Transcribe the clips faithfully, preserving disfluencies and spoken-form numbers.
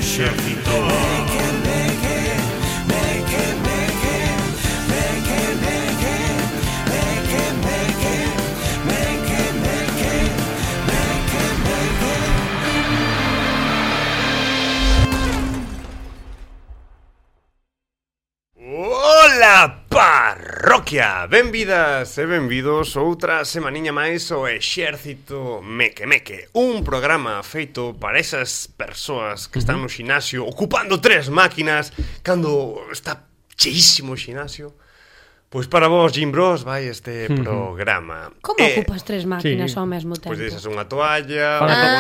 exército. Ola, parroquia! Benvidas e benvidos outra semaniña máis ao Exército Meque Meque, un programa feito para esas persoas que están no xinasio ocupando tres máquinas cando está cheísimo o xinasio. Pois para vos, Jim Bros, vai este uh-huh. programa. Como eh, ocupas tres máquinas sí. ao mesmo tempo? Pois deixas unha toalla, fan unha ah.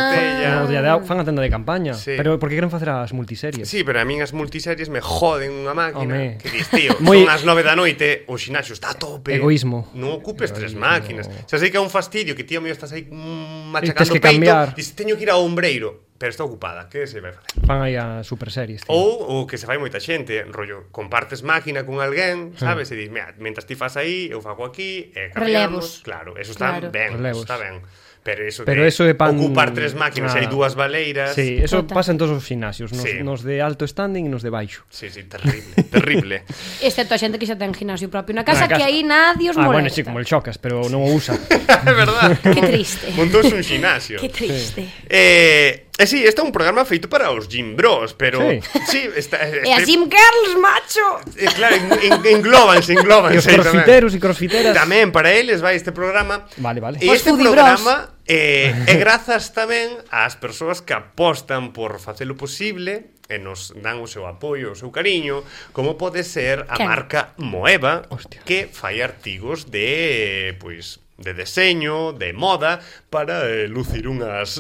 botella... Ah. Fan a tenda de campaña. Sí. Pero por que queren facer as multiseries? Sí, pero a min as multiseries me joden unha máquina. Home. Que dis, tío, Muy... son as nove da noite, o xinaxio está a tope. Egoísmo. Non ocupes Egoísmo. tres máquinas. Xa sei que é un fastidio, que tío mío estás aí mm, machacando que peito. Cambiar. Dis, teño que ir ao ombreiro. Pero está ocupada, que se vai facer? Fan aí a super series. Ou o que se fai moita xente, rollo, compartes máquina con alguén, sabes? E dis, mira, mentras ti fas aí, eu fago aquí, e cambiamos. Claro, eso está claro. ben, Relevos. eso está ben. Pero eso Pero de eso de pan... ocupar tres máquinas e ah. hai dúas baleiras... Sí, eso Total. pasa en todos os gimnasios, nos, sí. nos de alto standing e nos de baixo. Sí, sí, terrible, terrible. Excepto a xente que xa ten gimnasio propio na casa, casa. que aí nadie os ah, molesta. Bueno, sí, como el Chocas, pero non o usa. É verdad. Que triste. Montouse un ximnasio. Que triste. Sí. Eh... E eh, sí, este é un programa feito para os Jim Bros, pero... Sí, sí está, este... E a Jim Girls, macho! Eh, claro, en, englóbanse, englóbanse. E os crossfiteros e crossfiteras. Tamén, para eles vai este programa. Vale, vale. E este programa eh, é grazas tamén ás persoas que apostan por facelo posible e nos dan o seu apoio, o seu cariño, como pode ser a ¿Qué? marca Moeva, Hostia. que fai artigos de, pois... de deseño, de moda, para eh, lucir unhas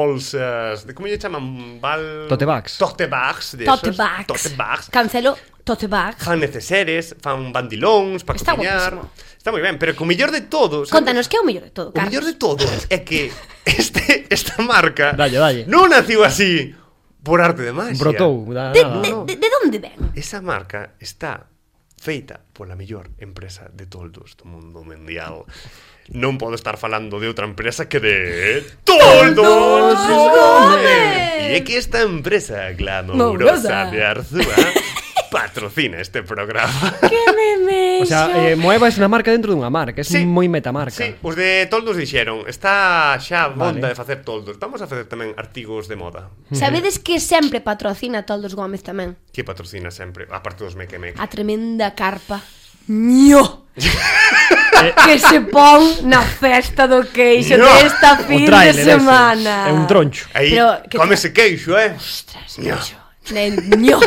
bolsas de, como lle chaman? Val... Tote bags. Tote bags. De Tote esos. bags. Tote bags. Cancelo tote bags. Fan neceseres, fan bandilóns para cociñar. Guapísimo. Está moi ben, pero o mellor de todo... ¿sabes? Contanos, que é o mellor de todo, O Carlos? mellor de todo é que este, esta marca dalle, dalle. non naciu así por arte de magia. Brotou. Da, De, nada, de, no. de, de onde ven? Esa marca está feita pola mellor empresa de toldos do mundo mundial. Non podo estar falando de outra empresa que de Toldos Gómez. E é que esta empresa glamourosa de Arzúa patrocina este programa. Que memecho. O sea, eh, Moeva é unha marca dentro dunha marca, é Sí. moi metamarca. Sí, os de toldos dixeron, está xa bonda Vale. de facer toldos. Vamos a facer tamén artigos de moda. Sabedes que sempre patrocina Toldos Gómez tamén? Que patrocina sempre, aparte dos Meque Meque. A tremenda carpa Ño que se pon na festa do queixo Ño. desta fin trailer de ese. semana. É un troncho. Aí, Pero, que come ese queixo, eh? Ostras, Ño. queixo. Ño.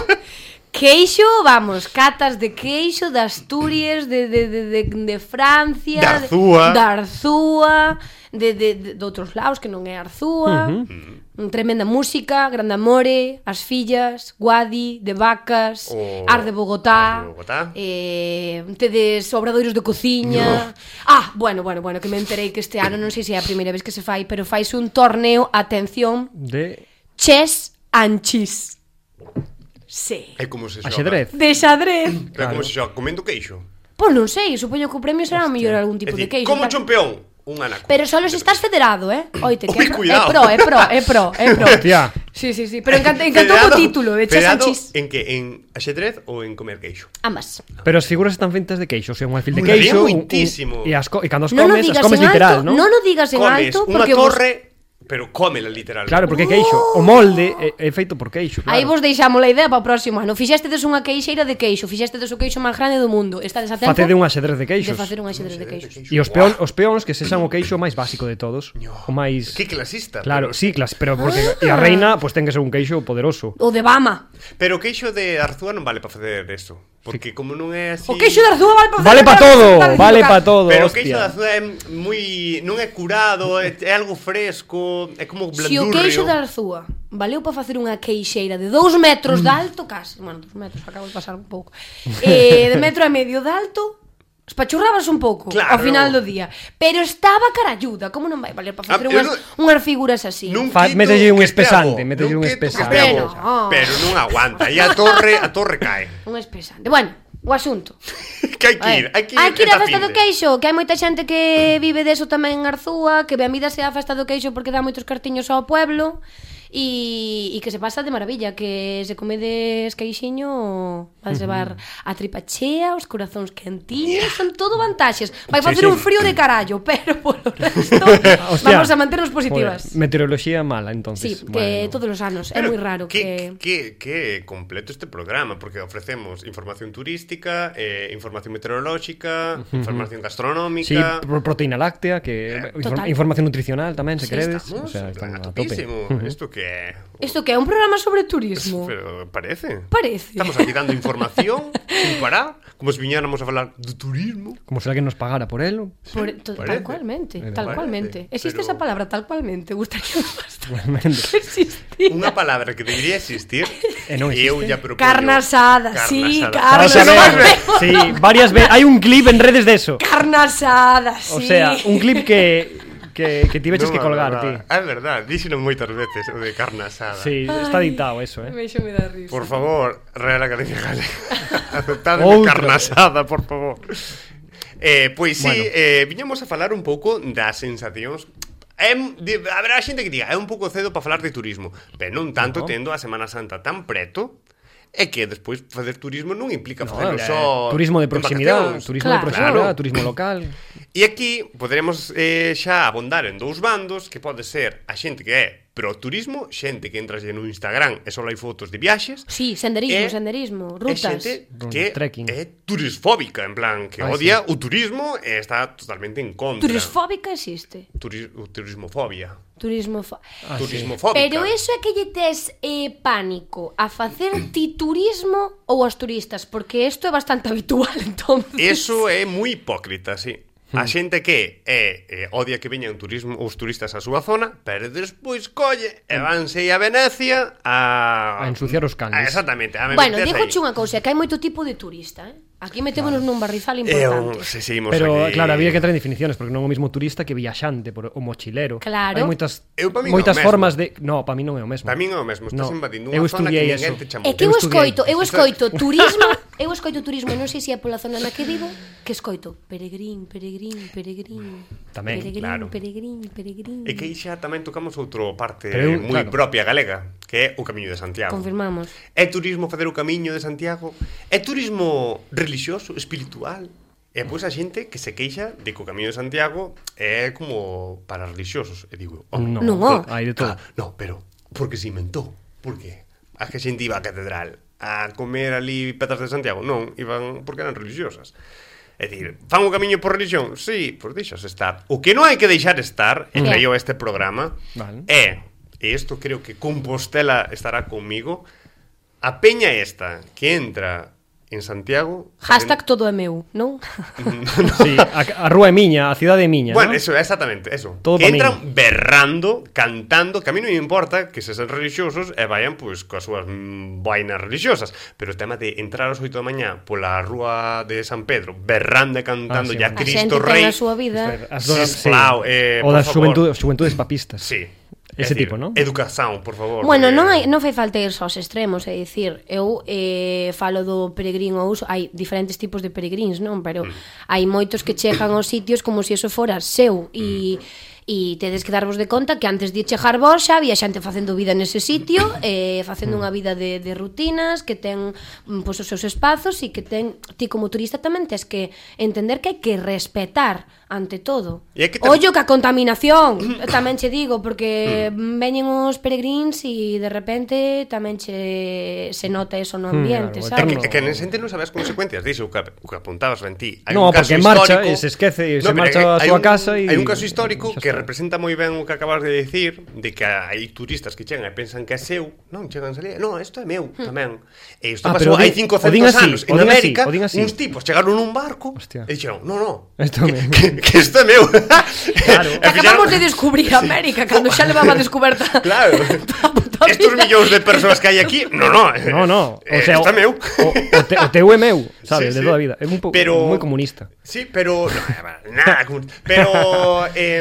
Queixo, vamos, catas de queixo de Asturias, de, de, de, de, de Francia, de Arzúa, de, de Arzúa, de, de, de, de outros lados que non é Arzúa. Uh-huh. Tremenda música, Grande Amore, As Fillas, Guadi, De Vacas, o... Ar de Bogotá, Ar de Bogotá. Eh, tedes obradoiros de cociña. No. Ah, bueno, bueno, bueno, que me enterei que este ano, non sei se é a primeira vez que se fai, pero faise un torneo, atención, De chess and cheese. Sí. É como se xoga. axedrez. De xadrez. Pero Claro. como se xoga, comendo queixo. Pois non sei, supoño que o premio será mellor algún tipo É de dicir, queixo. como tal. champión, un anaco. Pero solo se estás federado, eh? Oite, que Ui, é pro, é cuidado. pro, é pro, é pro, é pro. Hostia. Sí, sí, sí, pero encanta, encantou o título de chess and Federado cheese. en que? En axedrez ou en comer queixo? Ambas. Pero as figuras están feitas de queixo, o sea, un alfil de Molaría queixo, un, un, moitísimo. e, as co e cando as Non o comes, as digas comes en literal, alto, ¿no? non o digas en Comes alto unha porque vos... torre, pero cómela literalmente. Claro, porque é queixo. O molde é, é feito por queixo, claro. Aí vos deixamos a idea para o próximo ano. Fixestedes unha queixeira de queixo, fixestedes o queixo máis grande do mundo. Estades a tempo Facede un axedrez de de queixos. facer un axedrez de queixos. E os peón, os peóns que sexan o queixo máis básico de todos. O máis... Que clasista. Claro, pero... sí, clas, pero porque e a reina pues ten que ser un queixo poderoso. O de Bama. Pero o queixo de Arzúa non vale para facer eso. Porque como non é así... O queixo de Arzúa vale para Vale para todo, vale para todo, Pero o queixo de hostia. Arzúa é moi... non é curado, é, é algo fresco, é como blandurrio. Se o queixo de Arzúa valeu para facer unha queixeira de dous metros de alto, casi, bueno, dous metros, acabo de pasar un pouco, eh, de metro e medio de alto, espachurrabas un pouco Claro. ao final do día, pero estaba caralluda, como non vai valer para facer Ah, eu unhas, non- unhas figuras así? Nun Fa- quito mételle un que este espesante, abo, mételle nun un quito que espesante. este abo, Pero- Pero non aguanta, e a torre, a torre cae. Un espesante. Bueno, o asunto. Que hai que ir, hai que ir, hai que ir á esta festa do finde. queixo, que hai moita xente que vive deso tamén en Arzúa, que benvida sea a festa do queixo porque dá moitos cartiños ao pueblo. E, e que se pasa de maravilla, que se comedes queixiño vas levar a tripa chea, os corazóns quentiños, son todo vantaxes. Vai facer sí, un sí. frío de carallo, pero polo resto Hostia, vamos a manternos positivas. Joder, meteoroloxía mala, entonces. Sí, que bueno. todos os anos, é Pero moi raro que, que... que, que completo este programa, porque ofrecemos información turística, eh, información meteorolóxica, uh-huh. información gastronómica... Sí, pro proteína láctea, que Eh, inform total. información nutricional tamén, se Sí, queredes. Estamos, O sea, están a a tope. topísimo. Uh-huh. Isto que é... Isto que é un programa sobre turismo. Pero parece. Parece. Estamos aquí dando información sin parar, como se viñáramos a falar de turismo. Como se alguén nos pagara por elo. Por, to, Parece. tal cualmente, Parece. tal cualmente. Existe Pero- esa palabra, tal cualmente. Gustaría bastante Realmente. que existira. Unha palabra que debería existir E non e eu existe. ya propongo... Carne asada, sí, carne Vamos a asada. ver, sí, varias veces. Hay un clip en redes de eso. Carne asada, sí. O sea, un clip que que, que ti veches que colgar, ti. É verdad, díxeno moitas veces o de carne asada. Sí, está editado eso, eh. Me me dá risa. Por favor, Real Academia Galega, aceptadme Outra. carne asada, por favor. Eh, pois sí, Bueno. eh, viñamos a falar un pouco das sensacións. É, de, haberá xente que diga, é un pouco cedo para falar de turismo, pero non tanto No. tendo a Semana Santa tan preto. É que despois facer turismo non implica No, facelo eh, só turismo de en proximidade, vacacións. turismo Claro. de proximidade, Claro. turismo local. E aquí poderemos eh, xa abondar en dous bandos, que pode ser a xente que é pro turismo, xente que entras no Instagram e só hai fotos de viaxes, Sí, senderismo, E- senderismo, e rutas. xente que Trekking. é turisfóbica, en plan, que Ai, odia o turismo e está totalmente en contra. Turisfóbica existe. Turis, o turismofobia. Turismo fo... Ah, sí. Turismofóbica. Pero eso é que lle tes eh, pánico a facer ti turismo ou aos turistas, porque isto é bastante habitual, entonces. Eso é moi hipócrita, sí. A xente que é, eh, odia que veñan turismo os turistas á súa zona, pero despois colle e vanse a Venecia a... A ensuciar os canles. Ah, exactamente. A Bueno, meterse digo aí. unha cousa, que hai moito tipo de turista, eh? Aquí metémonos nun barrizal E importante. un, se seguimos Pero aquí... claro, había que entrar en definiciones, porque non é o mesmo turista que viaxante, por o mochilero. Claro. Hai moitas Eu, pa min, moitas é o mesmo. formas de, no, para mí non é o mesmo. Para min é o mesmo, estás No, invadindo eu unha zona que estudiei ninguén eso. te chamou. É que eu Eu estudiei. escoito, eu escoito turismo, eu escoito turismo, non sei se é pola zona na que vivo, que escoito peregrín, peregrín, peregrín. Tamén, peregrín, claro. Peregrín, peregrín. E que aí xa tamén tocamos outro parte Pero eu, moi claro. propia galega, que é o Camiño de Santiago. Confirmamos. É turismo facer o Camiño de Santiago? É turismo religioso, espiritual? E pois a xente que se queixa de que o Camiño de Santiago é como para religiosos. E digo, oh, No, Non, oh. hai de todo. Ah, no, pero porque se inventou. Por que? A que a xente iba á catedral a comer ali petas de Santiago? Non, iban porque eran religiosas. É dicir, fan o camiño por religión? Sí, pois deixas estar. O que non hai que deixar estar, e Mm. traio este programa, Vale. é, e isto creo que Compostela estará conmigo, a peña esta que entra en Santiago... Hashtag todo é meu, non? Sí, a, a rúa é miña, a cidade é miña, Bueno, ¿no? eso, exactamente, eso. Todo que pa entran min. berrando, cantando, que a mí non me importa que se sean religiosos e vayan, pois, coas súas mm, vainas religiosas, pero o tema de entrar ás oito da mañá pola rúa de San Pedro, berrando e cantando Ah, sí, ya vale. A Cristo xente ten Rei... a súa vida. As donas, sí. Sisplau, eh, O por das favor. xuventudes, xuventudes papistas. Sí. Ese É dicir, tipo, ¿no? Educación, por favor. Bueno, porque- non hai, non fai falta ir aos extremos, é dicir, eu eh, falo do peregrino ou uso, hai diferentes tipos de peregrins, non? Pero Mm. hai moitos que chegan aos sitios como se eso fora seu e e tedes que darvos de conta que antes de chegar vos xa había xente facendo vida nese sitio, eh, facendo unha vida de, de rutinas, que ten mm, pois, os seus espazos e que ten, ti como turista tamén tes que entender que hai que respetar ante todo. E hai que ter- Ollo que a contaminación, tamén che digo, porque veñen os peregrins e de repente tamén che se nota eso no ambiente, claro, É que, sabes? é que nese xente non sabes consecuencias diso, o que, o que apuntabas ben ti. Hai No, un caso porque marcha histórico- e se esquece e se pero marcha hai- á hai súa un- casa e- Hai un caso histórico xa que está. representa moi ben o que acabas de decir, de que hai turistas que chegan e pensan que é seu, non, chegan a salir, non, isto é meu tamén. E isto Ah, pasou pero hai di- cincocentos o din así, anos o en din así, América, o din así. uns tipos chegaron nun barco Hostia. e dixeron, no, no, Esto que, me- que, que isto é meu. Claro. E Que acabamos de fixeron- descubrir América cando xa levaba descoberta. Claro. toda a puta Estos vida. millóns de persoas que hai aquí, no, no. No, no, o eh, sea, isto é meu. O, o, te, o teu é meu, sabes, Sí, de sí. toda a vida. É un pouco Pero- moi comunista. Sí, pero no, nada, como- pero eh,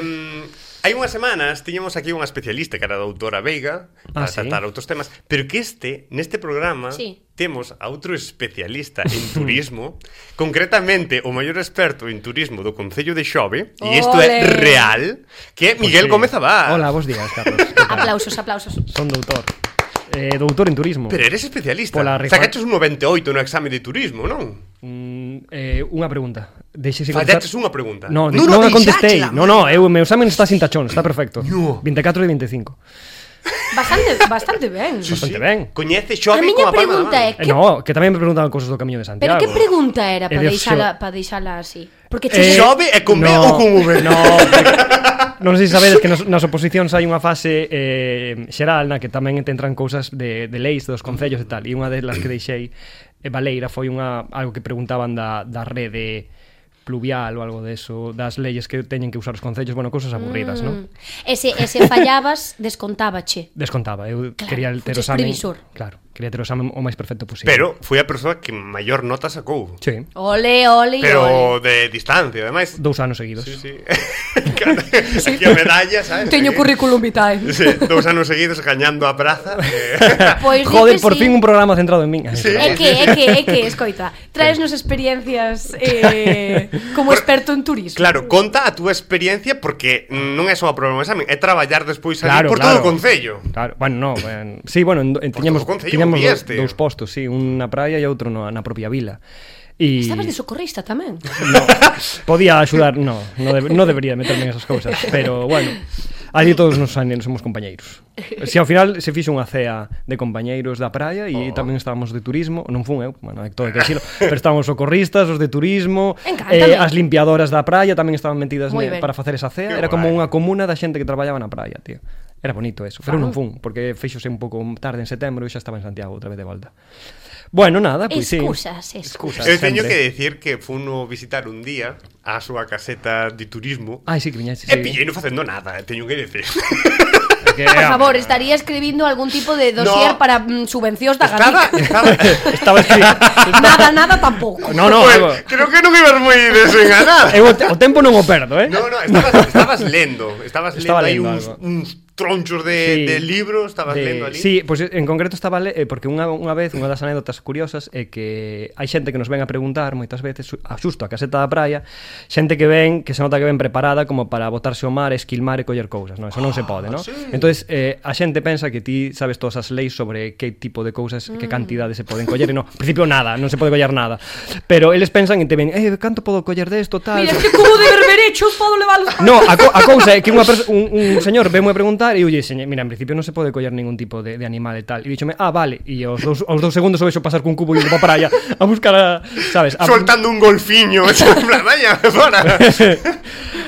Hai unhas semanas tiñamos aquí unha especialista que era a doutora Veiga para Ah, sí? tratar outros temas, pero que este, neste programa, Sí. temos a outro especialista en turismo, concretamente o maior experto en turismo do Concello de Xove, e isto é Ole. real, que é Miguel Pues sí. Gómez Abad. Hola, bos días, Carlos. Que tal? Aplausos, aplausos. Son doutor. Eh, doutor en turismo. Pero eres especialista. Pola rifa- Sacaches un noventa e oito no exame de turismo, non? Mm, eh, unha pregunta. Deixe Fallaches unha pregunta. No, Non, non, non, non a contestei. deixáchela, No, no, eu, o meu examen está sin tachón, está perfecto. No. vinte e catro de vinte e cinco. Bastante, bastante ben. Sí, Bastante sí. ben. Coñece A Xove miña como a palma da pregunta man. é Eh, que, no, que tamén me preguntaban cosas do Camiño de pero Santiago. que pregunta era E para de deixala, xo- para deixala así? Porque Eh, che Xove é con B no, ou con V? No, non sei se sabedes que nas, nas oposicións hai unha fase eh, xeral na que tamén te entran cousas de, de leis dos concellos e tal, e unha delas que deixei eh, Valeira foi unha algo que preguntaban da, da rede pluvial ou algo deso, das leyes que teñen que usar os concellos, bueno, cousas aburridas, mm. non? Ese, ese fallabas, descontábache. Descontaba, eu Claro, quería ter o fuches examen, previsor. claro, quería ter o examen o máis perfecto posible. Pero foi a persoa que maior nota sacou. Sí, Ole, ole, Pero ole. de distancia, ademais. dous anos seguidos. Sí, sí. Claro, aquí a medalla, sabes? Teño Aquí. currículum vitae. Sí, dous anos seguidos gañando a praza. Eh. Pois di Joder, que por sí. fin un programa centrado en min. Sí. É que, é que, é que, escoita, traesnos experiencias eh, como experto en turismo. Claro, conta a túa experiencia porque non é só a probar un examen, é traballar despois ali Claro, por claro. todo o concello. Claro, bueno, no, ben, sí, bueno, en, en, tiñamos, todo o concello, tiñamos do, vieste. dous postos, sí, un na praia e outro no, na propia vila. E Estabas de socorrista tamén. no, podía axudar, no, no, de, no debería meterme en esas cousas, pero bueno, ali todos nos anos somos compañeiros. Si ao final se fixo unha cea de compañeiros da praia e Oh. tamén estábamos de turismo, non fun eu, bueno, é todo que decirlo, pero estábamos socorristas, os de turismo, Encántame. eh, as limpiadoras da praia tamén estaban metidas Moi ne, ben. para facer esa cea, Que era como guai. unha comuna da xente que traballaba na praia, tío. Era bonito eso, pero Claro. non fun, porque feixose un pouco tarde en setembro e xa estaba en Santiago outra vez de volta. Bueno, nada, pois sí. Excusas, excusas. Eu teño sempre. que decir que funo visitar un día a súa caseta de turismo Ai, sí, que viñaste, e sí. pillei non facendo nada, teño que decir. Que, Por favor, estaría escribindo algún tipo de dossier No. para mm, subvencións da Estaba, Galicia. estaba... estaba escrito. Nada, nada tampouco. No, no, Pues, eu, creo que non ibas moi desenganada. eu o te- o tempo non o perdo, eh? No, no, estabas, estabas lendo, estabas Estaba lendo aí lendo uns, algo. uns tronchos de, Sí. de libros, estabas De- lendo ali. Sí, pois pues, en concreto estaba le, eh, porque unha, unha vez, unha das anécdotas curiosas é que hai xente que nos ven a preguntar moitas veces su- a xusto a caseta da praia, xente que ven, que se nota que ven preparada como para botarse ao mar, esquilmar e coller cousas, non? Eso non se pode, non? sí. Entonces, eh, a xente pensa que ti sabes todas as leis sobre que tipo de cousas, que cantidades se poden coller e non, en principio nada, non se pode coller nada. Pero eles pensan e te ven, "Eh, canto podo coller desto, tal?" Mira, es que como de berberechos podo levalos. No, a, co a cousa é que unha perso- un, un señor veme a preguntar e eu lle dixen, mira, en principio non se pode coller ningún tipo de, de animal e tal. E díxome, ah, vale. E aos dous, aos dous segundos o vexo pasar cun cubo e indo pa praia a buscar a, sabes? A... Soltando un golfiño, en plan, vaya, fora.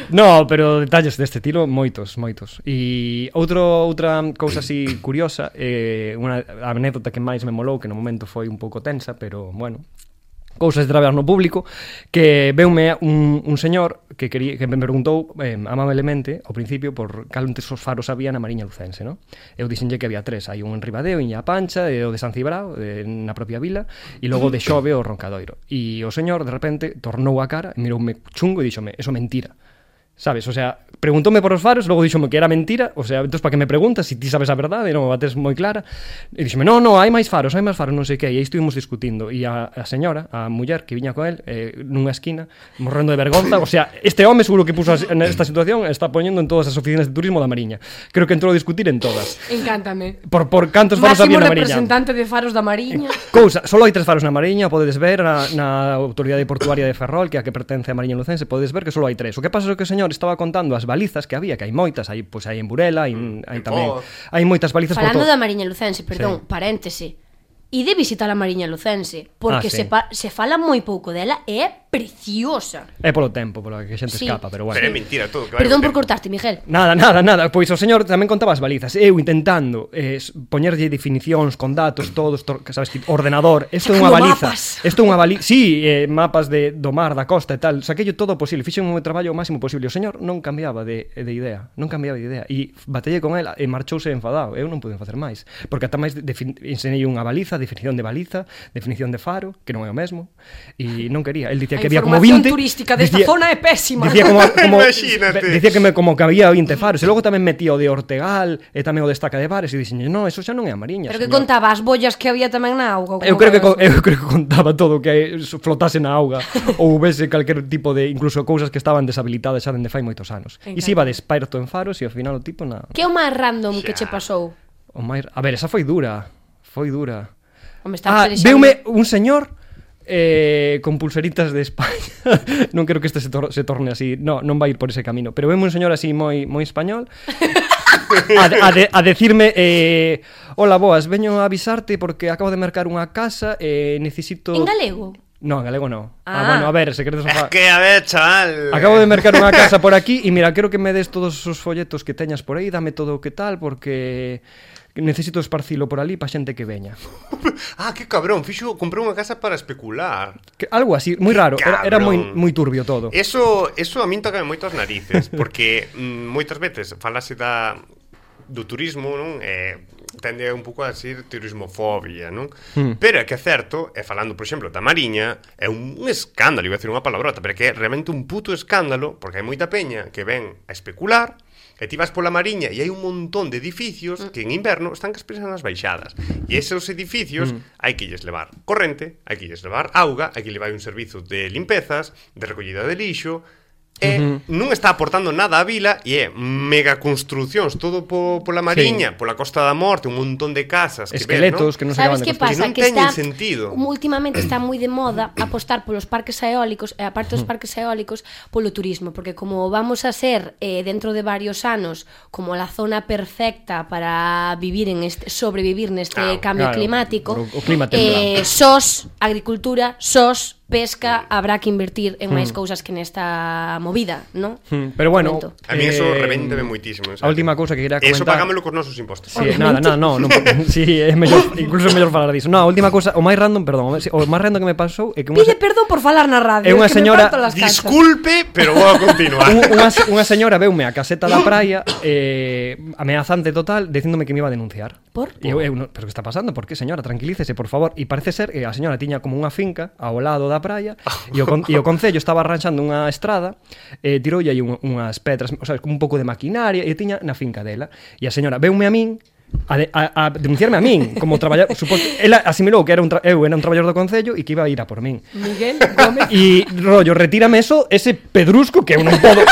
No, pero detalles deste estilo moitos, moitos. E outro outra cousa así curiosa, eh, unha anécdota que máis me molou, que no momento foi un pouco tensa, pero bueno, cousas de traballar no público, que veume un, un señor que quería, que me preguntou eh, amablemente ao principio por cal un tesos faros había na Mariña Lucense, no? Eu dixenlle que había tres, hai un en Ribadeo, en Illa Pancha, e o de San Cibrao, eh, na propia vila, e logo de Xove o Roncadoiro. E o señor de repente tornou a cara, miroume chungo e díxome, eso mentira. Sabes, o sea, preguntóme por os faros, logo díxome que era mentira, o sea, entón para que me preguntas se si ti sabes a verdade, non me bates moi clara. E díxome, "No, no, hai máis faros, hai máis faros, non sei que", e aí estuvimos discutindo e a, a señora, a muller que viña con el, eh, nunha esquina, morrendo de vergonza, o sea, este home seguro que puso nesta situación está poñendo en todas as oficinas de turismo da Mariña. Creo que entrou a discutir en todas. Encántame. Por por cantos faros Máximo había na Mariña. representante de faros da Mariña. Cousa, solo hai tres faros na Mariña, podedes ver na, na Autoridade Portuaria de Ferrol, que é a que pertence a Mariña Lucense, podedes ver que solo hai tres. O que pasa é que o señor estaba contando as balizas que había, que hai moitas, hai pois hai en Burela, hai, hai tamén, Foz. hai moitas balizas por Falando todo. da Mariña Lucense, perdón, Sí. paréntese. Ide visitar a Mariña Lucense, porque Ah, sí. se, pa se fala moi pouco dela e é preciosa. É polo tempo, polo que a xente Sí. escapa, pero bueno. Pero é mentira todo. Que vai Perdón ao por tempo. cortarte, Miguel. Nada, nada, nada. Pois o señor tamén contaba as balizas. Eu intentando eh, poñerlle definicións con datos, todos, to, que sabes, tipo, ordenador. Isto é unha Sacando baliza. mapas. Isto é unha baliza. Sí, eh, mapas de, do mar, da costa e tal. Saquei todo o posible. Fixen o meu traballo o máximo posible. O señor non cambiaba de, de idea. Non cambiaba de idea. E batelle con ela e marchouse enfadado. Eu non pude facer máis. Porque ata máis ensinei unha baliza, definición de baliza, definición de faro, que non é o mesmo, e non quería. El dicía A que había como información vinte... turística desta dicía, zona é pésima. Dicía como, como, Imagínate. dicía que, me, como que había vinte faros, e logo tamén metía o de Ortegal, e tamén o de Estaca de Bares, e dixen, no, eso xa non é a Mariña, Pero que señor. contaba as bollas que había tamén na auga. Eu creo que co- eu creo que contaba todo que flotase na auga ou houvese calquer tipo de incluso cousas que estaban deshabilitadas xa dende fai moitos anos. E se iba de experto en faros e ao final o tipo na Que é o máis random que che Xa. pasou? o máis, a ver, esa foi dura. Foi dura. Home, está Ah, pelexando. veume un señor eh, con pulseritas de España. Non quero que este se, tor se torne así. No, non vai ir por ese camino. Pero veume un señor así moi moi español. A, de, a, de, a decirme eh, hola, boas, veño a avisarte porque acabo de mercar unha casa e eh, necesito... En galego? No, en galego no. Ah, Ah. bueno, a ver, se queredes... Es que, a ver, chaval. Acabo de mercar unha casa por aquí e mira, quero que me des todos os folletos que teñas por aí, dame todo o que tal, porque necesito esparcilo por ali pa xente que veña. Ah, que cabrón, fixo, comprou unha casa para especular. Que, algo así, moi raro, era, era moi, moi turbio todo. Eso, eso a min toca moito as narices, porque mm, moitas veces falase da do turismo, non? Eh, tende un pouco a ser turismofobia, non? Mm. Pero é que é certo, e falando, por exemplo, da Mariña, é un, un escándalo, iba a decir unha palabrota, pero é que é realmente un puto escándalo, porque hai moita peña que ven a especular, e ti vas pola Mariña e hai un montón de edificios que en inverno están que expresan as baixadas. E esos edificios mm. hai que lles levar corrente, hai que lles levar auga, hai que levar un servizo de limpezas, de recollida de lixo, e uh-huh. non está aportando nada á vila e é mega construcións todo po, pola Mariña, sí. pola Costa da Morte, un montón de casas que esqueletos ven, ¿no? que non se acaban Sabes de que construir. pasa? Que non Que teñen está, sentido. últimamente está moi de moda apostar polos parques eólicos e aparte dos parques eólicos polo turismo, porque como vamos a ser eh, dentro de varios anos como la zona perfecta para vivir en este, sobrevivir neste Ah, cambio claro, climático, o- o clima eh, sos agricultura, sos pesca, habrá que invertir en máis Mm. cousas que nesta movida, ¿no? Mm, Pero bueno, Momento. A mí eso eh, revéntame moitísimo. A última cousa que quería comentar. Eso pagámelo cos nosos impostos. Sí, nada, nada, no, non, sí, é mellor, incluso é mellor falar diso. No, a última cousa, o máis random, perdón, o máis random que me pasou é que unha Pide perdón por falar na radio, É unha que me señora- parto las calzas. Disculpe, pero vou a continuar. Un- unha, unha señora veume a caseta da praia eh, ameazante total dicíndome que me iba a denunciar. Por? E eu, eu, no, pero que está pasando? Por que, señora? Tranquilícese, por favor. E parece ser que a señora tiña como unha finca ao lado da praia e o, con, e o concello estaba arranxando unha estrada e tiroulle aí un, unhas pedras, o sea, como un pouco de maquinaria e tiña na finca dela. E a señora veume a min a, de, a, a denunciarme a min como traballador, suposto, ela asimilou que era un tra, eu era un traballador do concello e que iba a ir a por min. Miguel Gómez. E rollo, retírame eso, ese pedrusco que eu non podo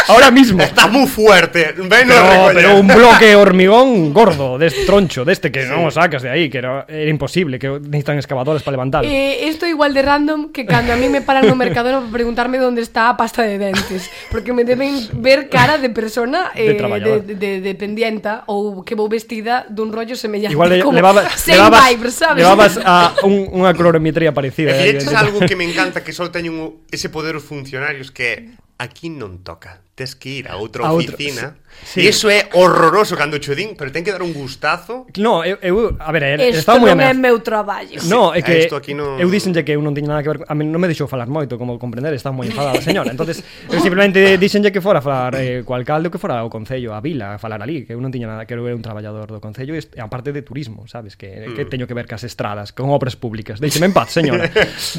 ahora mismo. Está moi fuerte. Ven Pero, pero un bloque hormigón gordo, deste troncho, deste que sí. non o sacas de aí, que era, era imposible, que necesitan excavadoras para levantarlo. Eh, esto igual de random que cando a mí me paran no Mercadona para preguntarme dónde está a pasta de dentes, porque me deben ver cara de persona eh, De traballador. de, de, de dependienta ou que vou vestida dun rollo semellante. Igual le, como levaba, same levabas, vibes, sabes? levabas a un, unha clorometría parecida. E eh, dices de- algo que me encanta, que só teñen un- ese poder os funcionarios, que é aquí non toca, tes que ir a outra A outro, oficina. sí. E iso é horroroso cando cho din, pero ten que dar un gustazo. No, eu, eu a ver, Esto estaba moi non é ameazado. meu traballo. No, é que Esto aquí non- eu dixenlle que eu non tiña nada que ver, a mí non me deixou falar moito, como comprender, estaba moi enfadada a señora. Entonces, eu simplemente dixenlle que fora a falar eh, co alcalde ou que fora ao concello, a vila, a falar ali, que eu non tiña nada, que eu era un traballador do concello e est- e aparte de turismo, sabes, que Mm. que teño que ver cas estradas, con obras públicas. Deixeme en paz, señora.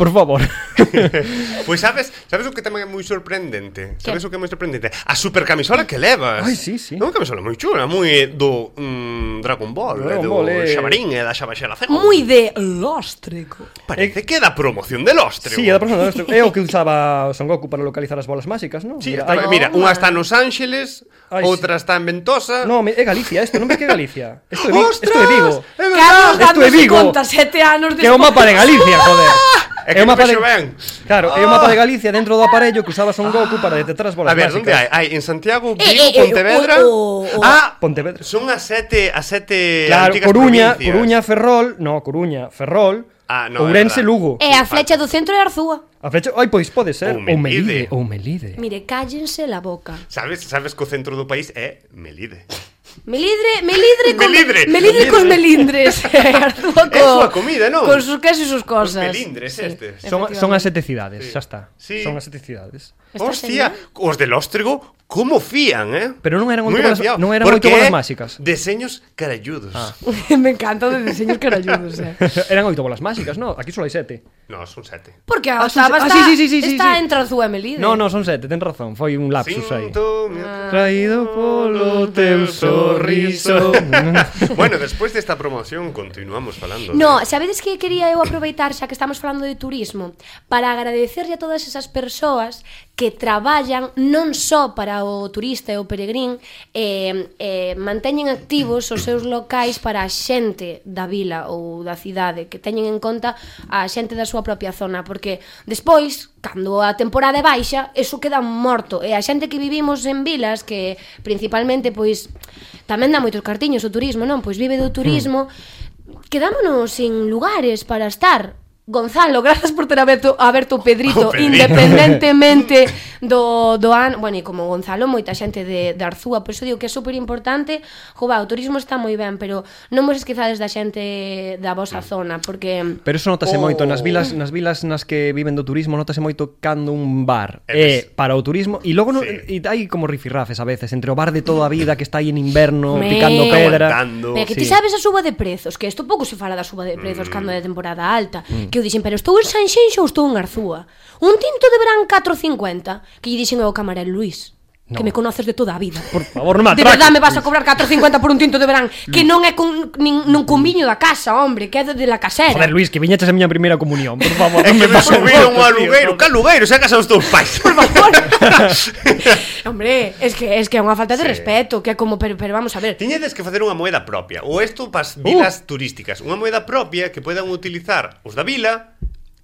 Por favor. Pois sabes, sabes o que tamén é moi sorprendente? Sabes o que é moi sorprendente? A super camisola que levas. Ai, sí, sí. É unha camisola moi chula, moi do mm, Dragon Ball, Dragon e do Ball, eh. Xabarín e da Xabaxela Cero. Moi de lóstrico. Parece que é da promoción del Ostre. Sí, é da persona do é o que usaba Son Goku para localizar as bolas máxicas, non? Sí, Mira, está, ai- mira, unha está nos Ángeles, Ai, outra está en Ventosa. No, me- é Galicia, isto non ves que é Galicia. Isto é, Vi- ¡Ostras! isto é Vigo. É verdad. Carlos Esto é dándose Vigo. conta sete anos Que é o mapa de Galicia, joder. É que o mapa non de vexo ben. Claro, é o mapa de Galicia dentro do aparello que usaba Son Goku para detectar as bolas A ver, máxicas. onde hai? Hai en Santiago, Eh, Vigo, eh, eh, Pontevedra. o- o- o- Ah, Pontevedra. son as sete, as sete Claro, antigas Coruña, provincias. Coruña, Ferrol, no, Coruña, Ferrol, Ah, no, é Ourense, verdad. Lugo. E a flecha do centro é Arzúa. A flecha, ai, pois pode ser, Ou ou Melide. Melide, ou Melide. Mire, cállense la boca. Sabes, sabes que o centro do país é Melide. Melidre, melidre con Melidre. melidre cos melindres. Arzúa É súa comida, non? Con sus quesos e sus Os cosas. melindres estes. Son, son as sete cidades, Sí. xa está. Sí. Son as sete cidades. Está Hostia, genial. os del Óstrego, Como fían, eh? Pero non eran Moi moito bolas, afiado, non eran porque moito bolas é máxicas. Deseños caralludos. Ah. Me encanta de diseños caralludos, eh. Eran oito bolas máxicas, no? Aquí só hai sete. No, son sete. Porque a Ah, son octava se- ah, está, sí, sí, sí, sí, está sí. entre Arzúa e Melide. No, no, son sete, ten razón. Foi un lapsus aí. Sinto mi- Traído polo teu sorriso. Bueno, despois desta promoción continuamos falando. No, de... sabedes que quería eu aproveitar xa que estamos falando de turismo para agradecerlle a todas esas persoas que traballan non só para o turista e o peregrín, eh, eh, manteñen activos os seus locais para a xente da vila ou da cidade, que teñen en conta a xente da súa propia zona, porque despois, cando a temporada é baixa, eso queda morto, e a xente que vivimos en vilas, que principalmente, pois, tamén dá moitos cartiños o turismo, non? Pois vive do turismo, quedámonos sin lugares para estar. Gonzalo, grazas por ter aberto, aberto o Pedrito, O Pedrito. independentemente do, do ano. Bueno, e como Gonzalo, moita xente de, de Arzúa, por iso digo que é super importante. Jova, o turismo está moi ben, pero non vos esquezades da xente da vosa zona, porque... Pero eso notase Oh. moito nas vilas, nas vilas nas que viven do turismo, notase moito cando un bar É é para o turismo e logo no, Sí. e hai como rifirrafes a veces entre o bar de toda a vida que está aí en inverno Me- picando pedra. Aguantando. Pero que ti Sí. sabes a suba de prezos, que isto pouco se fala da suba de prezos mm. cando é temporada alta, mm. que eu dixen, pero estou en Sanxenxo ou estou en Arzúa? Un tinto de verán catro cincuenta, que lle dixen ao camarero Luís, No. que me conoces de toda a vida. Por favor, non me De atraques. verdade me vas a cobrar catro cincuenta por un tinto de verán, que non é con nin, nun con viño da casa, hombre, que é de, de la casera. Joder, Luís, que viñeches a miña primeira comunión, por favor. É non que me pases subiron moito, ao tío, alugueiro. joder. Que alugueiro? Se a casa dos teus pais. Por favor. Hombre, es que es que é unha falta de Sí. respeto, que é como pero, pero vamos a ver. Tiñedes que facer unha moeda propia. Ou isto pas vilas uh. turísticas. Unha moeda propia que podan utilizar os da vila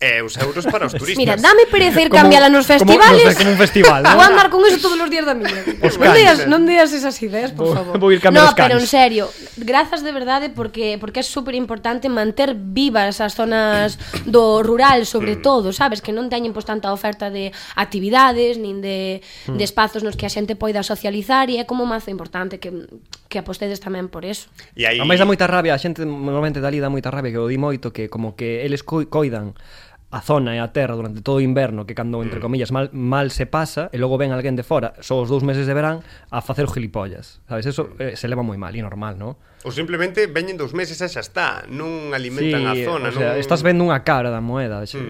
e os euros para os turistas. Mira, dame pereza ir Como- cambiala nos como- festivales. no sé, como un festival, ¿no? Vou andar con eso todos os días da miña vida. Os Non dias, cans. non dias esas ideas, por Vou- favor. vou ir cambiar no, os cans. pero en serio, grazas de verdade porque porque é super importante manter vivas as zonas do rural, sobre todo, sabes, que non teñen pois tanta oferta de actividades nin de, Mm. de espazos nos que a xente poida socializar, e é como mazo importante que que apostedes tamén por eso. E aí... A máis dá moita rabia, a xente normalmente dali dá moita rabia, que o di moito, que como que eles coi- coidan a zona e a terra durante todo o inverno, que cando, entre comillas, mal, mal se pasa, e logo ven alguén de fora, só os dous meses de verán, a facer os gilipollas, sabes? Eso eh, se leva moi mal, e normal, non? Ou simplemente veñen dos meses e xa está. Non alimentan a zona. o sea, non... estás vendo unha cara da moeda, xe...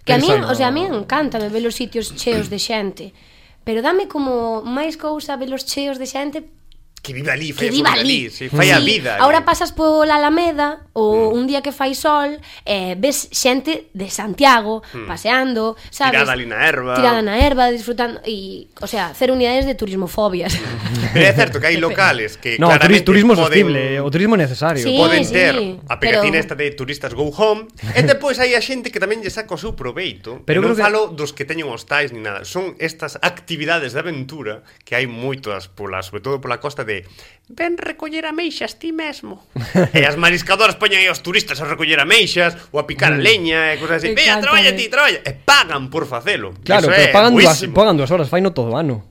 Que a mí, Pensa o sea, a no- mí encanta ver os sitios cheos de xente, pero dame como máis cousa ver os cheos de xente Que viva ali, fai que a viva súa ali. ali. Sí, fai a vida. Ahora ali. pasas pola Alameda ou un día que fai sol, eh, ves xente de Santiago paseando, sabes? Tirada ali na herba. Tirada na herba, disfrutando e, o sea, cero unidades de turismofobias. Pero é certo que hai locales que No, claramente turismo poden... sostible, o turismo é necesario. Sí. Poden sí, ter a pegatina pero- esta de turistas go home. E depois hai a xente que tamén lle saca o seu proveito. Pero Pero non creo que- falo dos que teñen hostais ni nada. Son estas actividades de aventura que hai moitas pola, sobre todo pola costa de ven recoller ameixas ti mesmo. E as mariscadoras poñen aí aos turistas a recoller ameixas ou a picar a leña e cosas así. Veña, Encántame. traballa ti, traballa. E pagan por facelo. Claro, Eso pero é pagan dúas, buísimo. pagan dúas horas, faino todo o ano.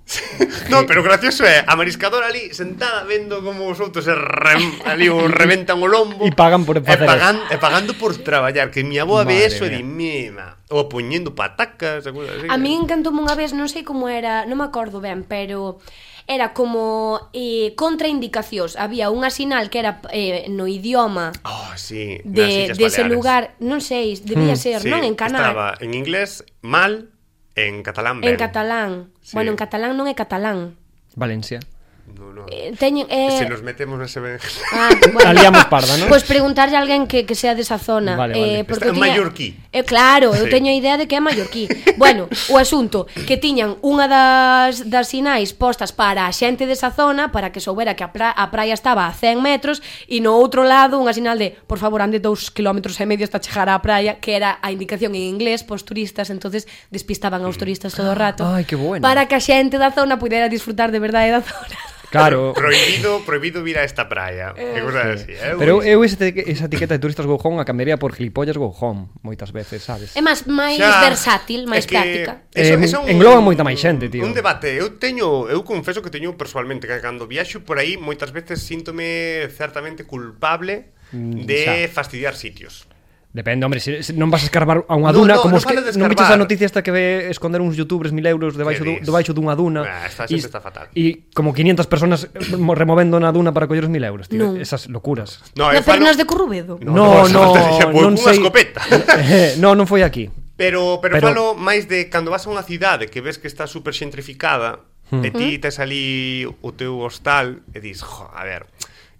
No, pero gracioso é a mariscadora ali sentada vendo como os outros se rem, ali o reventan o lombo E pagan por e, facer pagan, e pagando por traballar. Que mi aboa ve Madre eso e mía. di mima. Ou poñendo patacas e cousas así. A mí encantoume unha vez, non sei como era, non me acordo ben, pero era como eh, contraindicacións. Había unha sinal que era eh, no idioma Oh, sí, nas de, Illas de ese Baleares. lugar, non sei, debía ser, Sí, non? En canal. estaba en inglés mal, en catalán En ben. catalán. Sí. Bueno, en catalán non é catalán. Valencia. No, no. Eh, teñen, eh... Se nos metemos nese ben... Ah, bueno. Aliamos parda, ¿no? Pois pues preguntarlle a alguén que, que sea desa zona. Vale, vale. Eh, porque Está en eu tiña... mallorquí. Eh, claro, eu Sí. teño a idea de que é mallorquí. Bueno, o asunto que tiñan unha das, das sinais postas para a xente desa zona, para que soubera que a, pra, a praia estaba a cen metros, e no outro lado unha sinal de por favor ande dous kilómetros e medio hasta chegar á praia, que era a indicación en inglés pos turistas, entonces despistaban aos turistas todo o rato. Ai, que bueno. Para que a xente da zona pudera disfrutar de verdade da zona. Claro. Prohibido, prohibido vir a esta praia. E cosas así. Eh? Pero eu esa, esa etiqueta de turistas go home a cambiaría por gilipollas go home, moitas veces, sabes? É máis máis Xa, versátil, máis é que práctica. Eh, engloba moita máis xente, tío. Un debate, eu teño, eu confeso que teño personalmente que cando viaxo por aí moitas veces síntome certamente culpable Mm, de xa. fastidiar sitios. Depende, hombre, se, se non vas a escarbar a unha No, duna no, como no os que falo de non viches escarbar. a noticia esta que ve esconder uns youtubers mil euros debaixo Que do, dis? debaixo dunha duna. Ah, esta xente está fatal. E como quinientas personas mo- removendo na duna para coller os mil euros, tío. Non. Esas locuras. No, Na eu falo- Pernas de Currubedo. No, no, non non sei. sei. Escopeta. Eh, no, non foi aquí. Pero, pero, Pero- falo máis de cando vas a unha cidade que ves que está super xentrificada Hmm. e ti tes ali o teu hostal e dis, jo, a ver,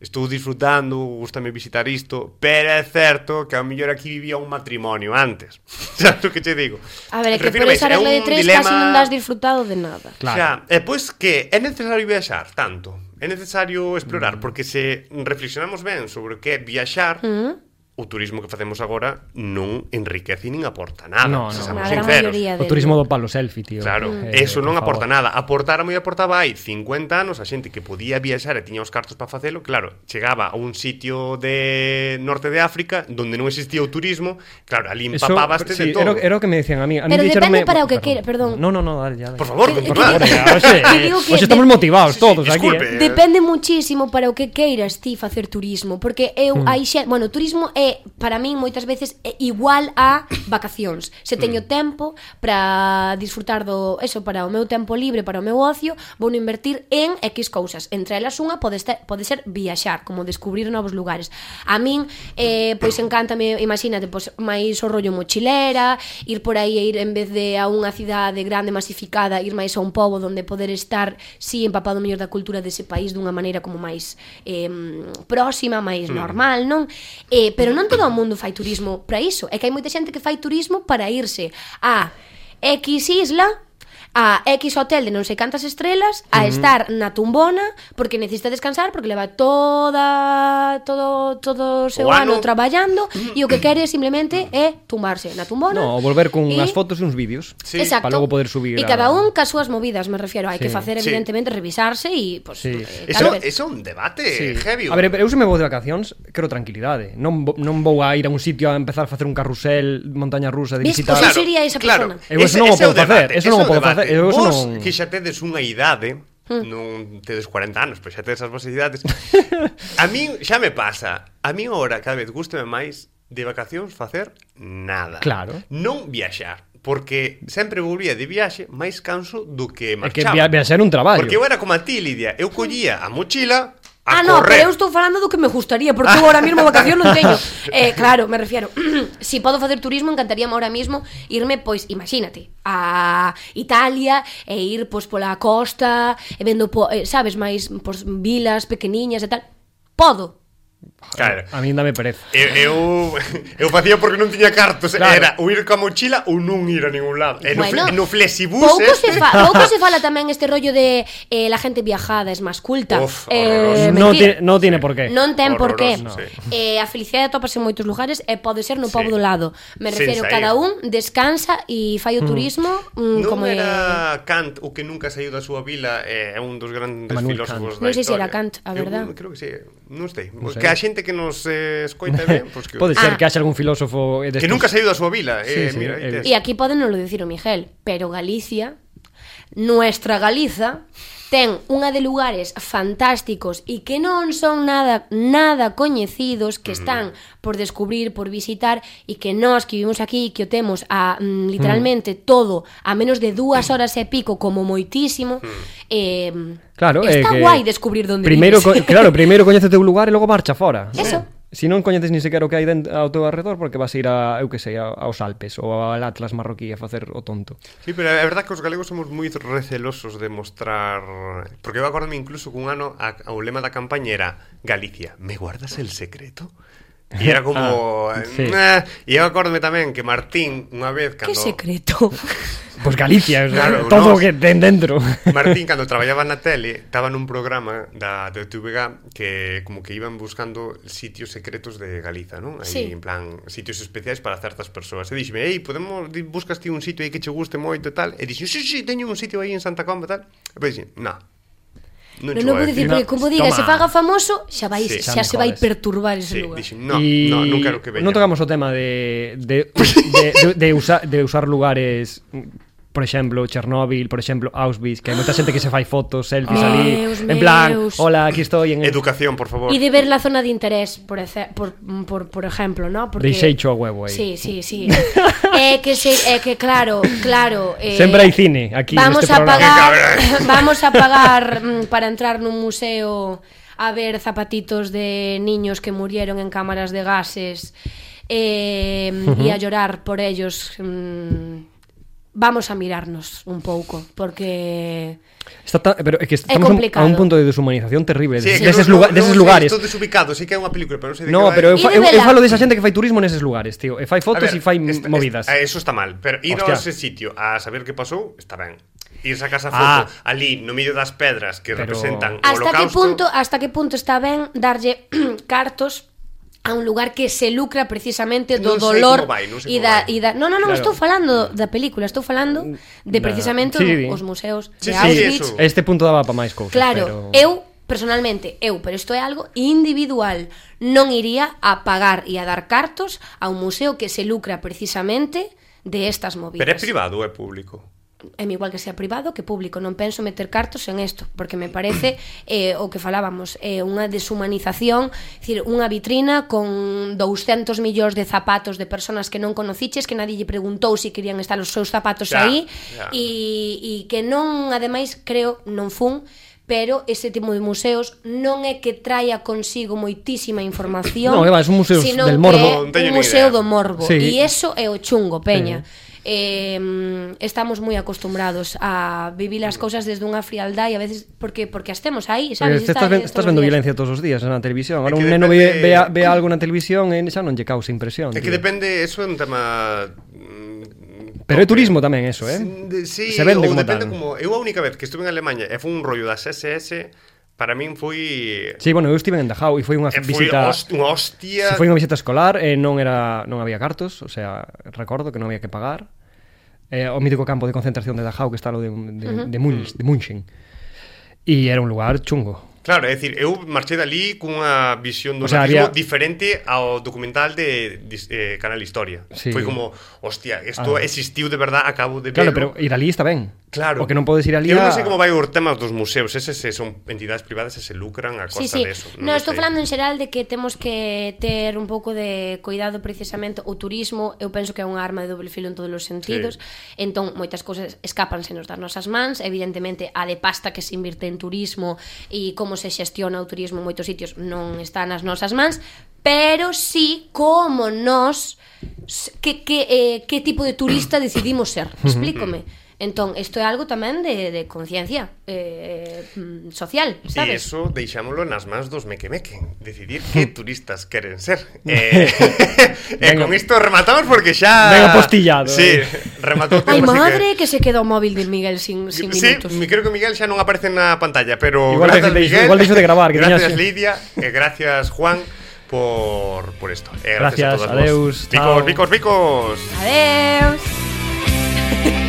estou disfrutando, gustame visitar isto, pero é certo que ao mellor aquí vivía un matrimonio antes. Sabes o que che digo? A ver, é que por Refírome, esa é regla un de tres dilema- casi non das disfrutado de nada. Claro. Xa, e pois que é necesario viaxar tanto, é necesario explorar, porque se reflexionamos ben sobre o que é viaxar, Mm. o turismo que facemos agora non enriquece nin aporta nada, No, se no. somos A gran sinceros. maioría O de turismo do palo selfie, tío. Claro, Eh, eso non por aporta favor. nada. Aportara moi aportaba hai cincuenta anos a xente que podía viaxar e tiña os cartos para facelo. Claro, chegaba a un sitio de norte de África donde non existía o turismo. Claro, ali Eso, empapabaste sí, de todo. Era, era o que me decían a mí. A mí Pero dixéronme- depende para o que Perdón. queira, perdón. No, no, no, dale, ya. dale. Por favor, Que- don que- Fernando. Oye, oxe, Te digo que oxe, estamos de- motivados Sí, sí, todos disculpe. aquí, eh. Depende muchísimo para o que queiras ti facer turismo, porque eu Hmm. hai xe, bueno, o turismo é para min moitas veces é igual a vacacións. Se teño Hmm. tempo para disfrutar do eso, para o meu tempo libre, para o meu ocio, vou invertir en X cousas. Entre elas unha pode estar, pode ser viaxar, como descubrir novos lugares. A min eh pois encántame, imagínate, pois máis o rollo mochilera, ir por aí e ir en vez de a unha cidade grande masificada, ir máis a un pobo onde poder estar si empapado mellor da cultura dese país dunha maneira como máis eh, próxima, máis normal, non? Eh, pero non todo o mundo fai turismo para iso. É que hai moita xente que fai turismo para irse a X isla, a X hotel de non sei cantas estrelas, a estar na tumbona porque necesita descansar, porque leva toda todo todo o seu O ano ano. traballando e o que quere simplemente é tumbarse na tumbona. No, volver con e- unhas fotos e uns vídeos. Sí. Exacto. Para logo poder subir E a- cada un cas súas movidas, me refiero. Hai Sí. que facer, Sí. evidentemente, revisarse e, pues, Sí. eh, Eso, tal vez. eso é un debate Sí. heavy. A ver, eu se me vou de vacacións, quero tranquilidade. Non, vo- non vou a ir a un sitio a empezar a facer un carrusel, montaña rusa, de Ves, visitar... pues eu sería esa claro. persona. Eu eso non o Ese é podo facer, debate, eso non ese é o podo debate. facer, eu eso Vos, non- que xa tedes unha idade, Hmm. non tedes cuarenta anos, pois xa tedes as vosas idades. A min xa me pasa. A min agora cada vez gústame máis de vacacións facer nada. Claro. Non viaxar, porque sempre volvía de viaxe máis canso do que É que marchaba. via, viaxer un traballo. Porque eu era como a ti, Lidia. Eu collía a mochila a Ah, no, correr. pero eu estou falando do que me gustaría, porque eu ahora mismo vacación non teño. Eh, claro, me refiero, si podo facer turismo, encantaríame ahora mismo irme, pois, imagínate, a Italia e ir, pois, pola costa, e vendo, po, eh, sabes, máis, pois, vilas pequeniñas e tal. Podo. Claro. A min dame pereza. Eu, eu, eu facía porque non tiña cartos. Claro. Era ou ir coa mochila ou non ir a ningún lado. E no, Bueno, fle- no flexibus pouco este... se, fa, pouco se fala tamén este rollo de eh, la gente viajada es máis culta. Uf, eh, horroroso. No, mentira. tiene, no tiene por qué. Non ten por qué. Horroroso, sí. Eh, a felicidade atopase en moitos lugares e pode ser no Sí. pobo do lado. Me Sen refiero, saír. cada un descansa e fai o turismo mm, Non como era Kant o que nunca saiu da súa vila, é un dos grandes Manuel filósofos Kant. da Non sei se historia. era Kant, a Eu verdad. creo que sí, non sei. Non sei. Que a xente que nos eh, escoita ben, pues que, Pode ser Ah. que haxa algún filósofo eh, destos... que nunca saiu da súa vila. Eh, Sí, sí, mira, eh, aí tes. E aquí poden non lo decir o Miguel, pero Galicia, nuestra Galiza, ten unha de lugares fantásticos e que non son nada nada coñecidos, que están por descubrir, por visitar, e que nós que vivimos aquí, que o temos a mm, literalmente todo a menos de dúas horas e pico como moitísimo, eh, Claro, está é que guai descubrir donde primeiro, vives. co- claro, primeiro coñece o teu lugar e logo marcha fora. Eso. Si non coñeces ni sequera o que hai dentro ao teu alrededor, porque vas a ir a, eu que sei, a- aos Alpes ou ao Atlas marroquí a facer o tonto. Sí, pero é verdad que os galegos somos moi recelosos de mostrar... Porque eu acordame incluso que un ano a, o lema da campaña era Galicia, ¿me guardas el secreto? E era como... Ah, sí. nah. E eu acordame tamén que Martín, unha vez, Que cando... secreto. Pois Galicia, o sea, Claro, todo o nos- que ten dentro. Martín, cando traballaba na tele, estaba nun programa da de T V G que como que iban buscando sitios secretos de Galiza, non? Aí, Sí. en plan, sitios especiais para certas persoas. E dixeme, ei, podemos, di- buscas ti un sitio aí que che guste moito e tal? E dixen, sí, sí, teño un sitio aí en Santa Comba e tal. E pois dixen, no. Non, Non, non vou dicir, porque como diga, Toma. se faga famoso, xa vai, Sí, xa, xa me se vai jodes. perturbar ese Sí, lugar. dixen, no, Y no, non quero que veña. Non tocamos o tema de de, de, de, de, usar, de usar lugares por exemplo, Chernóbil, por exemplo, Auschwitz, que hai moita xente que se fai fotos, selfies Meus, ali, en plan, meus. hola, aquí estoy en Educación, por favor. E de ver la zona de interés, por, ece- por, por, por ejemplo, ¿no? Porque... Deixei cho a huevo aí. Sí, sí, sí. É que se, é que claro, claro, eh, Sempre hai cine aquí vamos neste a programa. pagar, vamos a pagar mm, para entrar nun museo a ver zapatitos de niños que murieron en cámaras de gases eh, uh-huh. e a llorar por ellos. mm, Vamos a mirarnos un pouco, porque Está ta, pero é que estamos É un, complicado. a un punto de deshumanización terrible Sí, sí, que deses, no, lugar, no, deses no, lugares. Estou desubicado, sí que é unha película, pero non sei de No, que vai. pero eu, fa, E de eu, eu vela. falo desa xente que fai turismo neses lugares, tío. E fai fotos e fai est- movidas. est- Eso está mal, pero ir Hostia. a ese sitio a saber que pasou, está ben. Ir a casa Ah. foto ali no medio das pedras que Pero- representan o hasta que holocausto. punto, hasta que punto está ben darlle cartos a un lugar que se lucra precisamente do Non sei dolor como vai, non sei e como da, vai. e da No, no, non, Claro. estou falando da película, estou falando de Da- precisamente sí, os museos Sí, de sí, Auschwitz. eso. Este punto daba para máis cousas, Claro, pero... eu personalmente, eu, pero isto é algo individual, non iría a pagar e a dar cartos a un museo que se lucra precisamente de estas movidas. Pero é privado ou é público? É igual que sea privado que público, non penso meter cartos en isto, porque me parece eh, o que falábamos, é eh, unha deshumanización, é dicir, unha vitrina con douscentos millóns de zapatos de personas que non conociches, que nadie lle preguntou se si querían estar os seus zapatos Ya, aí, ya. e, e que non, ademais, creo, non fun, pero ese tipo de museos non é que traia consigo moitísima información, No, que va, son museos sino del morbo. Non que teño é ni un museo idea. do morbo, Sí. e eso é o chungo, peña. Sí. Eh, estamos moi acostumbrados a vivir as cousas desde unha frialdade e a veces porque porque as temos aí, Porque sabes? estás, Está- ven- estás todos os vendo días. violencia todos os días na televisión. Ahora É que un neno ve, depende- ve, a- ve algo na televisión e xa non lle causa impresión. É que tío. depende, eso é un tema mm, Pero é turismo tamén eso, eh? De- Sí, Se vende ou como depende tal. como eu a única vez que estuve en Alemanha e foi un rollo das S S, para min foi Sí, bueno, eu estive en Dachau e foi unha e foi visita host, unha hostia. Se foi unha visita escolar e non era non había cartos, o sea, recordo que non había que pagar. Eh, o mítico campo de concentración de Dachau que está lo de, de, uh-huh. de, Munch, de Munchen. E era un lugar chungo. Claro, é dicir, eu marchei dali cunha visión do O sea, nazismo había- diferente ao documental de, de eh, Canal Historia. Sí. Foi como, hostia, isto Ah. existiu de verdad, acabo de Claro, verlo. pero ir ali está ben. Claro. O que non podes ir ali Eu a... non sei como vai o tema dos museos, eses se son entidades privadas e se lucran a Sí, costa sí. de eso. No, lo estou sei. falando en xeral de que temos que ter un pouco de cuidado precisamente o turismo, eu penso que é unha arma de doble filo en todos os sentidos. Sí. Entón, moitas cousas escápansenos das nosas mans, evidentemente a de pasta que se invirte en turismo e como se xestiona o turismo en moitos sitios non está nas nosas mans, pero sí como nos que, que, eh, que tipo de turista decidimos ser. Explícome. Entón, isto é algo tamén de, de conciencia eh, mm, social, E sabes? eso deixámoslo nas mans dos mequemeque, decidir que turistas queren ser. Eh, e Venga. con isto rematamos porque xa... Venga, postillado, Sí, eh. rematou o Ai, tema, así madre, que se queda o móvil de Miguel sin, sin Sí, minutos. mi- creo que Miguel xa non aparece na pantalla, pero Igual gracias deixo- Miguel, igual deixo de gravar, que gracias tiñas- Lidia, e gracias Juan por, por esto. E gracias, Gracias, a todos adeus, vos. chao. Vicos, vicos, vicos. Adeus.